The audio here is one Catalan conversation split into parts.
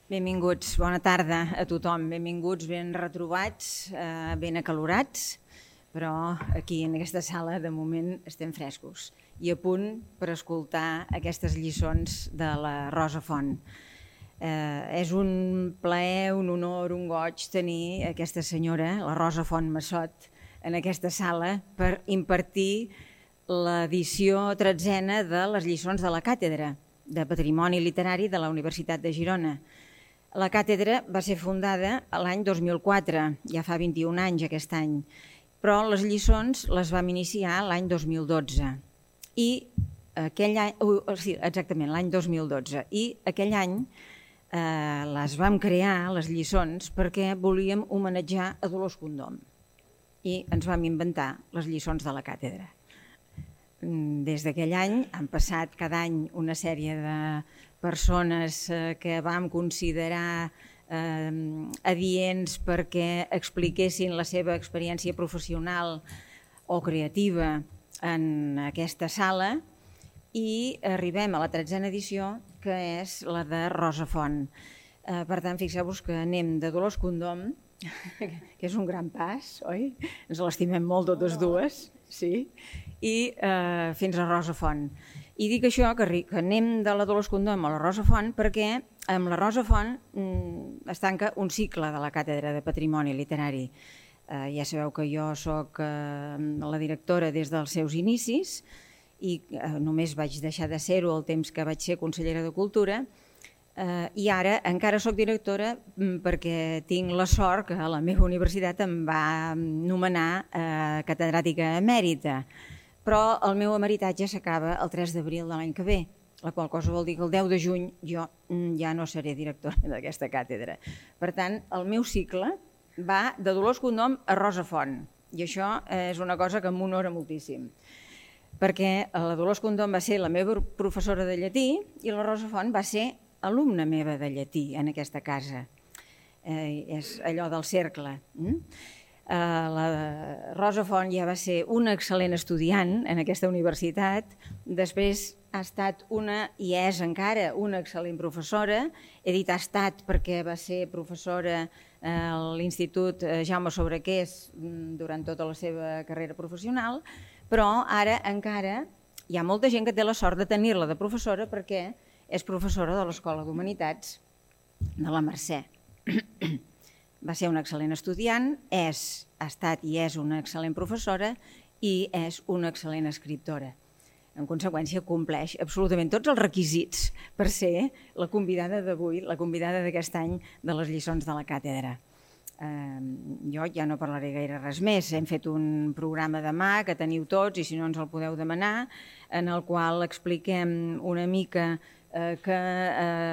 Benvinguts, bona tarda a tothom. Benvinguts, ben retrobats, ben acalorats, però aquí en aquesta sala de moment estem frescos i a punt per escoltar aquestes lliçons de la Rosa Font. És un plaer, un honor, un goig tenir aquesta senyora, la Rosa Font Massot, en aquesta sala per impartir l'edició 13a de les lliçons de la Càtedra de Patrimoni Literari de la Universitat de Girona. La càtedra va ser fundada l'any 2004, ja fa 21 anys aquest any, però les lliçons les vam iniciar l'any 2012. I aquell any, exactament, l'any 2012. I aquell any les vam crear, les lliçons, perquè volíem homenatjar a Dolors Condom. I ens vam inventar les lliçons de la càtedra. Des d'aquell any han passat cada any una sèrie de persones que vam considerar adients perquè expliquessin la seva experiència professional o creativa en aquesta sala i arribem a la 13a edició, que és la de Rosa Font. Per tant, fixeu-vos que anem de Dolors Condom, que és un gran pas, oi? Ens l'estimem molt totes dues, sí, i fins a Rosa Font. I dic això, que anem de la Dolors Condom a la Rosa Font, perquè amb la Rosa Font es tanca un cicle de la Càtedra de Patrimoni Literari. Ja sabeu que jo soc la directora des dels seus inicis i només vaig deixar de ser-ho el temps que vaig ser consellera de Cultura, i ara encara soc directora perquè tinc la sort que la meva universitat em va nomenar catedràtica emèrita, però el meu emeritatge s'acaba el 3 d'abril de l'any que ve, la qual cosa vol dir que el 10 de juny jo ja no seré directora d'aquesta càtedra. Per tant, el meu cicle va de Dolors Condom a Rosa Font, i això és una cosa que m'honora moltíssim, perquè la Dolors Condom va ser la meva professora de llatí i la Rosa Font va ser alumna meva de llatí en aquesta casa. És allò del cercle. La Rosa Font ja va ser una excel·lent estudiant en aquesta universitat, després ha estat i és encara una excel·lent professora. He dit ha estat perquè va ser professora a l'Institut Jaume Sobrequés durant tota la seva carrera professional, però ara encara hi ha molta gent que té la sort de tenir-la de professora perquè és professora de l'Escola d'Humanitats de la Mercè. Va ser una excel·lent estudiant, ha estat i és una excel·lent professora i és una excel·lent escriptora. En conseqüència, compleix absolutament tots els requisits per ser la convidada d'avui, la convidada d'aquest any de les lliçons de la càtedra. Jo ja no parlaré gaire res més. Hem fet un programa demà que teniu tots i si no ens el podeu demanar, en el qual expliquem una mica que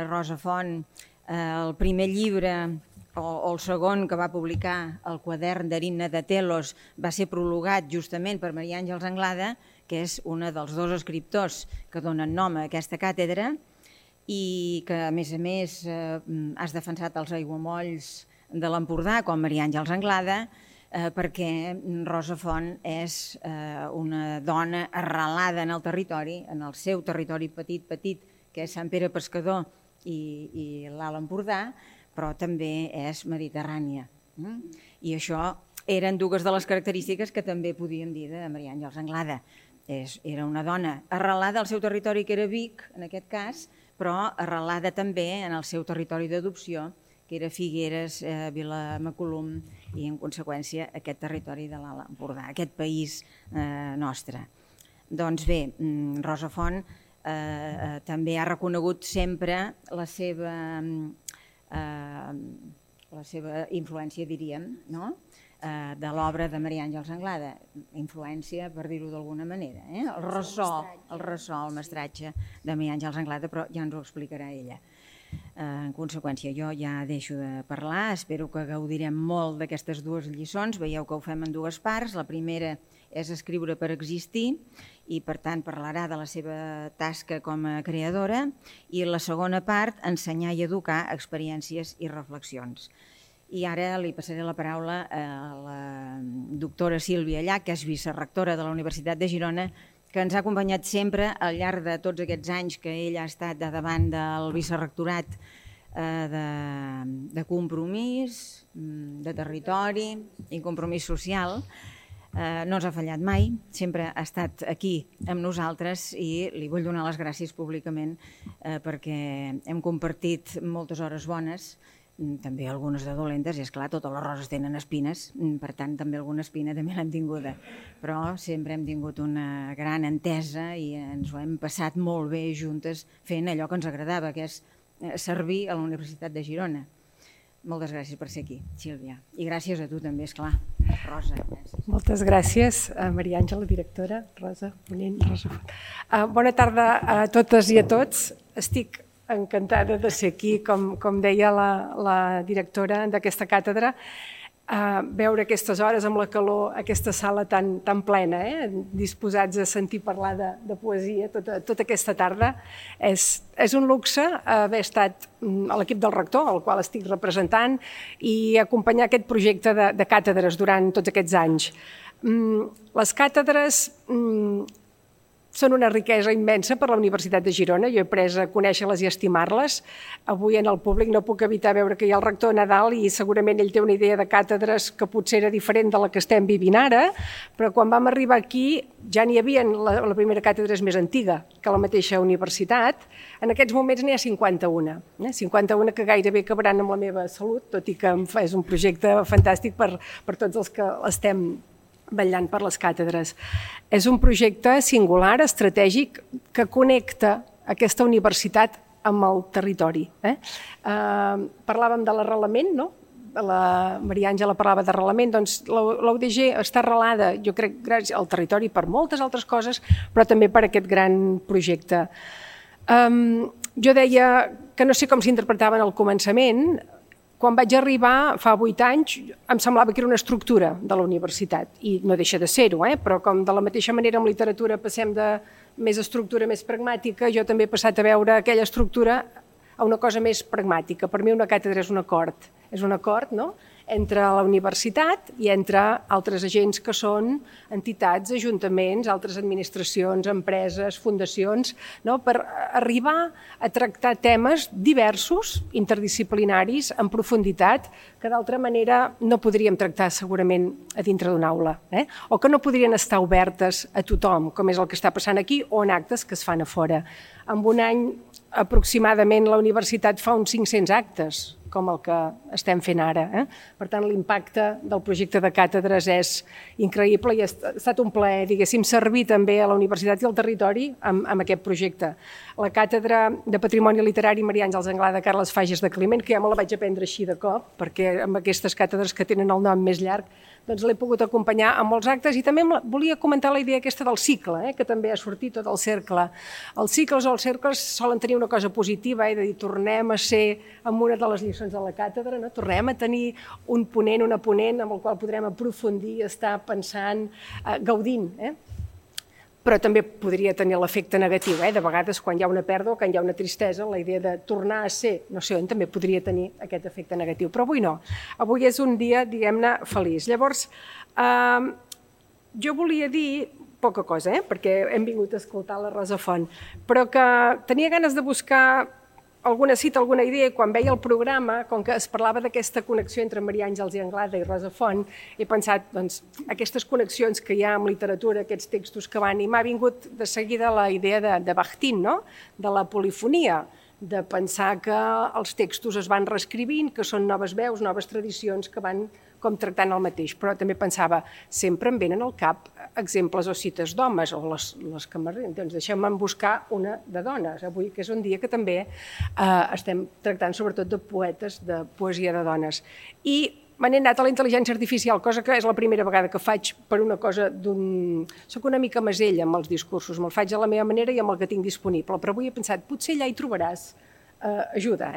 Rosa Font, el primer llibre o el segon que va publicar, el quadern d'Erina de Telos, va ser prologat justament per Maria Àngels Anglada, que és una dels dos escriptors que donen nom a aquesta càtedra i que, a més, has defensat els aiguamolls de l'Empordà, com Maria Àngels Anglada, perquè Rosa Font és una dona arrelada en el territori, en el seu territori petit, que és Sant Pere Pescador i l'Alt Empordà, però també és mediterrània. I això eren dues de les característiques que també podíem dir de Maria Àngels Anglada. Era una dona arrelada al seu territori, que era Vic, en aquest cas, però arrelada també en el seu territori d'adopció, que era Figueres, Vilamacolum i, en conseqüència, aquest territori de l'Alt Empordà, aquest país nostre. Doncs bé, Rosa Font també ha reconegut sempre la seva influència, diríem, de l'obra de Maria Àngels Anglada. Influència, per dir-ho d'alguna manera. El ressò, el mestratge de Maria Àngels Anglada, però ja ens ho explicarà ella. En conseqüència, jo ja deixo de parlar, espero que gaudirem molt d'aquestes dues lliçons. Veieu que ho fem en dues parts. La primera és escriure per existir i, per tant, parlarà de la seva tasca com a creadora, i la segona part, ensenyar i educar experiències i reflexions. I ara li passaré la paraula a la doctora Sílvia Llach, que és vicerectora de la Universitat de Girona, que ens ha acompanyat sempre al llarg de tots aquests anys que ella ha estat davant del vicerrectorat de compromís, de territori i compromís social. No ens ha fallat mai, sempre ha estat aquí amb nosaltres i li vull donar les gràcies públicament perquè hem compartit moltes hores bones, també algunes de dolentes, i esclar, totes les roses tenen espines, per tant també alguna espina també l'hem tinguda, però sempre hem tingut una gran entesa i ens ho hem passat molt bé juntes fent allò que ens agradava, que és servir a la Universitat de Girona. Moltes gràcies per ser aquí, Sílvia. I gràcies a tu també, esclar. Rosa, gràcies. Moltes gràcies, Maria Àngela, directora, Rosa, ponent, Rosa. Bona tarda a totes i a tots. Estic encantada de ser aquí, com deia la directora d'aquesta càtedra, veure aquestes hores amb la calor, aquesta sala tan plena, disposats a sentir parlar de poesia tota aquesta tarda. És un luxe haver estat a l'equip del rector, al qual estic representant, i acompanyar aquest projecte de càtedres durant tots aquests anys. Les càtedres són una riquesa immensa per a la Universitat de Girona. Jo he après a conèixer-les i estimar-les. Avui en el públic no puc evitar veure que hi ha el rector Nadal i segurament ell té una idea de càtedres que potser era diferent de la que estem vivint ara, però quan vam arribar aquí ja n'hi havia, la primera càtedra és més antiga que la mateixa universitat. En aquests moments n'hi ha 51. 51 que gairebé acabaran amb la meva salut, tot i que és un projecte fantàstic per tots els que estem vetllant per les càtedres. És un projecte singular, estratègic, que connecta aquesta universitat amb el territori. Parlàvem de l'arrelament, no? La Maria Àngela parlava d'arrelament, doncs la UDG està arrelada, jo crec, gràcies al territori per moltes altres coses, però també per aquest gran projecte. Jo deia que no sé com s'interpretava en el començament. Quan vaig arribar, fa 8 anys, em semblava que era una estructura de la universitat, i no deixa de ser-ho, però com de la mateixa manera en literatura passem de més estructura més pragmàtica, jo també he passat a veure aquella estructura a una cosa més pragmàtica. Per mi una càtedra és un acord, no?, entre la universitat i entre altres agents que són entitats, ajuntaments, altres administracions, empreses, fundacions, no?, per arribar a tractar temes diversos, interdisciplinaris, en profunditat, que d'altra manera no podríem tractar segurament a dintre d'una aula, o que no podrien estar obertes a tothom, com és el que està passant aquí, o en actes que es fan a fora. En un any, aproximadament, la universitat fa uns 500 actes, com el que estem fent ara. Per tant, l'impacte del projecte de càtedres és increïble i ha estat un plaer, diguéssim, servir també a la universitat i al territori amb aquest projecte. La càtedra de Patrimoni Literari Maria Àngels Anglada Carles Fages de Climent, que ja me la vaig aprendre així de cop, perquè amb aquestes càtedres que tenen el nom més llarg, doncs l'he pogut acompanyar en molts actes, i també volia comentar la idea aquesta del cicle, que també ha sortit tot el cercle. Els cicles o els cercles solen tenir una cosa positiva, de dir, tornem a ser en una de les lliçons de la càtedra, tornem a tenir un ponent, una ponent amb el qual podrem aprofundir, estar pensant, gaudint. Però també podria tenir l'efecte negatiu. De vegades, quan hi ha una pèrdua, quan hi ha una tristesa, la idea de tornar a ser, no sé on, també podria tenir aquest efecte negatiu. Però avui no. Avui és un dia, diguem-ne, feliç. Llavors, jo volia dir poca cosa, perquè hem vingut a escoltar la Rosa Font, però que tenia ganes de buscar alguna cita, alguna idea, i quan veia el programa, com que es parlava d'aquesta connexió entre Maria Àngels i Anglada i Rosa Font, he pensat, doncs, aquestes connexions que hi ha amb literatura, aquests textos que van, i m'ha vingut de seguida la idea de Bakhtin, no?, de la polifonia, de pensar que els textos es van reescrivint, que són noves veus, noves tradicions que van com tractant el mateix. Però també pensava, sempre em venen al cap exemples o cites d'homes, o les que m'arriben. Doncs deixem-me buscar una de dones, avui, que és un dia que també estem tractant sobretot de poetes, de poesia de dones. I me n'he anat a la intel·ligència artificial, cosa que és la primera vegada que faig per una cosa d'un... Soc una mica masella amb els discursos, me'l faig a la meva manera i amb el que tinc disponible, però avui he pensat, potser allà hi trobaràs ajuda,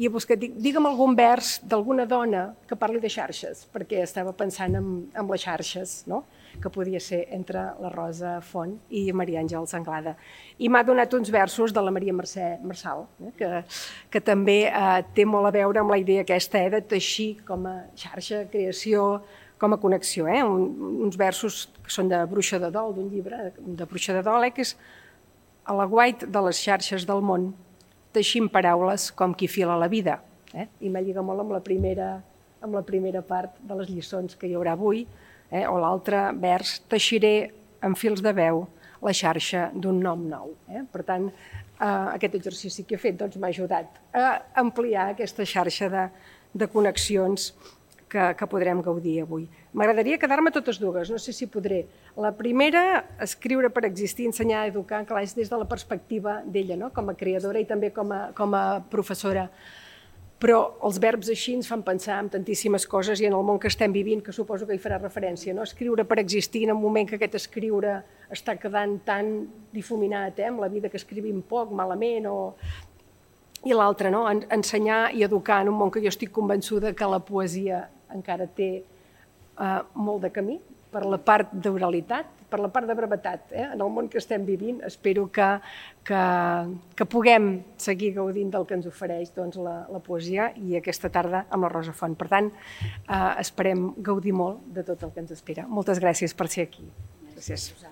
i he buscat, digue'm algun vers d'alguna dona que parli de xarxes, perquè estava pensant en les xarxes, no?, que podia ser entre la Rosa Font i Maria Àngels Anglada. I m'ha donat uns versos de la Maria Mercè Marçal, que també té molt a veure amb la idea aquesta de teixir com a xarxa, creació, com a connexió. Uns versos que són de Bruixa de Dol, d'un llibre de Bruixa de Dol, que és a l'aguait de les xarxes del món. teixim paraules com qui fila la vida. I m'alliga molt amb la primera part de les lliçons que hi haurà avui, o l'altre vers, teixiré amb fils de veu la xarxa d'un nom nou. Per tant, aquest exercici que he fet m'ha ajudat a ampliar aquesta xarxa de connexions que podrem gaudir avui. M'agradaria quedar-me totes dues, no sé si podré. La primera, escriure per existir, ensenyar, educar, clar, és des de la perspectiva d'ella, com a creadora i també com a professora. Però els verbs així ens fan pensar en tantíssimes coses i en el món que estem vivint, que suposo que hi farà referència. Escriure per existir en un moment que aquest escriure està quedant tan difuminat, amb la vida que escrivim poc, malament, i l'altre, ensenyar i educar en un món que jo estic convençuda que la poesia encara té molt de camí, per la part d'oralitat, per la part de brevetat. En el món que estem vivint espero que puguem seguir gaudint del que ens ofereix la poesia i aquesta tarda amb la Rosa Font. Per tant, esperem gaudir molt de tot el que ens espera. Moltes gràcies per ser aquí. Gràcies. Gràcies.